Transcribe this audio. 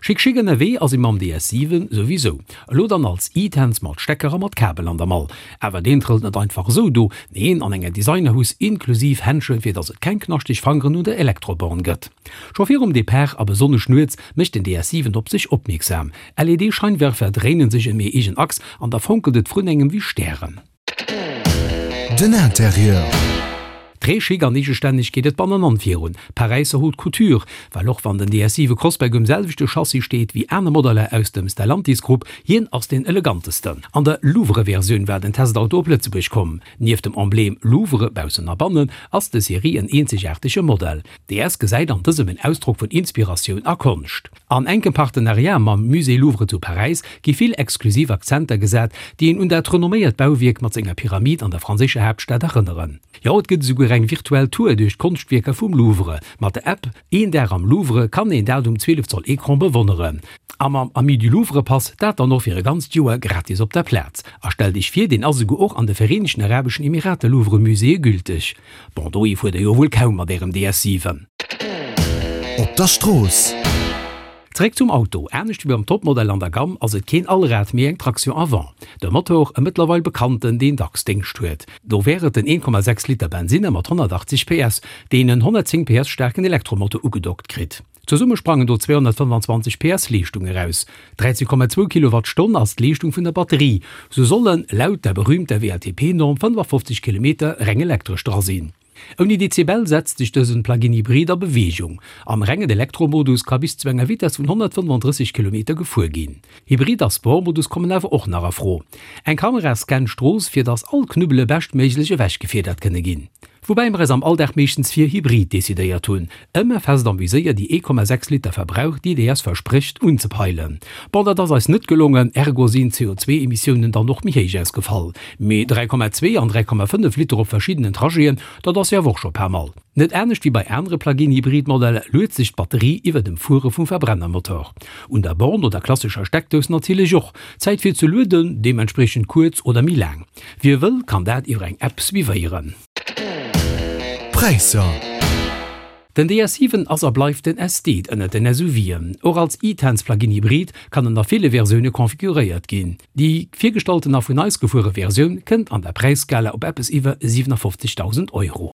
Schick schick ënnerwee ass ee mam DS 7 souwisou. Elo dann als E-Tense mat Stecker a mat Kabel an der Mall. Awer deen trëllt net einfach esou do, neen, an enger Designerhus inklusiv Händschen, fir dass et keng knaschteg Fangeren un der Elektroborn gëtt. Scho virum Depart a besonnesch nuets mécht den DS 7 op sech opmierksam. LED-Scheinwerfer dréinen sech ëm hir eegen Achs an da fonkelt et vrun engem wéi Stären. Den Interieur. Très chic an eegestänneg geet et bannenan virun. Paräisser Haute Couture, well och wann den DS 7 Crossback um selwechte Chassis steet wéi aner Modeller aus dem Stellantis Grupp, hien ass deen elegantesten. An der Louvre-Versioun war den Testauto op Lëtzebuerg komm. Nieft dem Emblem Louvre baussen a bannen ass de Serie en eenzegaartege Modell. DS gesäit an dësem en Ausdrock vun Inspiratioun a Konscht. An enkem Partenariat mam Musée Louvre zu Paräis gi vill exklusiv Akzenter gesat, déi een un dat renomméiert Bauwierk mat senger Pyramid an der franséischer Haaptstad erënneren. Jo, et gëtt esouguer eng virtuell Tour duerch d'Konschtwierker vum Louvre. Mat der App Een Dag am Louvre kann een dat um 12 Zoll Ecran bewonneren. A mam Amis du Louvre Pass dat dann och fir e ganzt Joer gratis op der Plaz. A stellt iech vir, deen ass esouguer och an de Vereenegten Arabeschen Emirater Louvre Muséeë gülteg. Bon, dohi fuert der jo wuel kaum mat ärem DS 7. Op der Strooss. Zeréck zum Auto, Anescht wéi beim Topmodell an der Gamm ass et keen Allrad, mee eng Traction avant. De Motor, e mëttlerweil bekannten, deen dacks Déngscht huet. Do wär et den 1,6 Liter Bensinner mat 180 PS, deen en 110 PS staarken Elektromotor ugedockt kritt. Zesumme sprangen do 225 PS Leeschtung eraus. 13,2 Kilowattstonn ass d'Leeschtung vun der Batterie. Sou sollen, laut der berühmter WLTP-Norm, 55 Kilometer reng elektresch dra sinn. Ouni Dezibel setzt sech dësen Plug-in Hybrid a Beweegung. Am rengen Elektromodus ka bis zu enger Vitess vun 135 Kilometer gefuer ginn. Hybrid a Sport-Modus kommen awer och nach a Fro. Eng Kamera scannt d'Strooss, fir dass all Knubbele beschtméiglech ewechgefiedert kënne ginn. Woubäi mer eis am Alldag meeschtens fir Hybrid decidéiert hunn, ëmmer fest am Viséier déi 1,6 Liter Verbrauch déi DS versprécht unzepeilen. Bon, dat ass eis net gelongen, ergo sinn d'CO2-Emissiounen dann och méi héich ausgefall. Mee 3,2 an 3,5 Liter op verschiddenen Trajeten, dat ass jo awer och scho pas mal. Net anescht wéi bei anere Plug-in-Hybrid-Modeller luet sech d'Batterie iwwer dem Fuere vum Verbrennermotor. Un der Born oder klassescher Steckdous natierlech och. D'Zäit fir ze lueden deementspriechend kuerz oder méi laang. Wie wëll, kann dat iwwer eng App suivéieren. Präisser. Den DS 7 ass a bleift den Estate ënnert den SUVen. Och als e-Tense Plug-in Hybrid kann en a ville Versioune configuréiert ginn. Déi virgestallten a vun eis gefuere Versioun kënnt an der Präisskala op eppes iwwer 57.000 Euro.